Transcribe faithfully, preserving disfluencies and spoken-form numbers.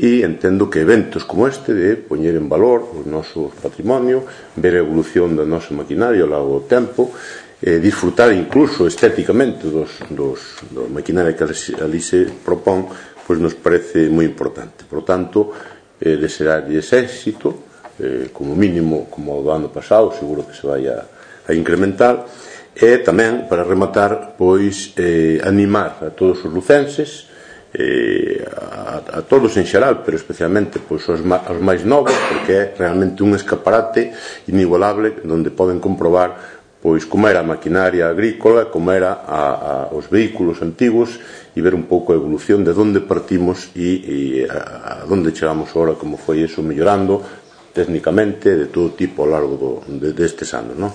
e entendo que eventos como este de poñer en valor o noso patrimonio, ver a evolución da nosa maquinaria ao longo do tempo, eh, disfrutar incluso estéticamente dos, dos, da maquinaria que ali se propón, pois nos parece moi importante. Por tanto, eh, desearlles éxito, eh, como mínimo como o do ano pasado, seguro que se vai a, a incrementar, e tamén, para rematar, pois eh, animar a todos os lucenses, eh, a, a todos en xeral, pero especialmente pois, os, os máis novos, porque é realmente un escaparate inigualable onde poden comprobar pois como era a maquinaria agrícola, como era a, a, os vehículos antigos, e ver un pouco a evolución de onde partimos e, e a, a onde chegamos agora, como foi eso mellorando técnicamente de todo tipo ao largo do, de, destes anos, non?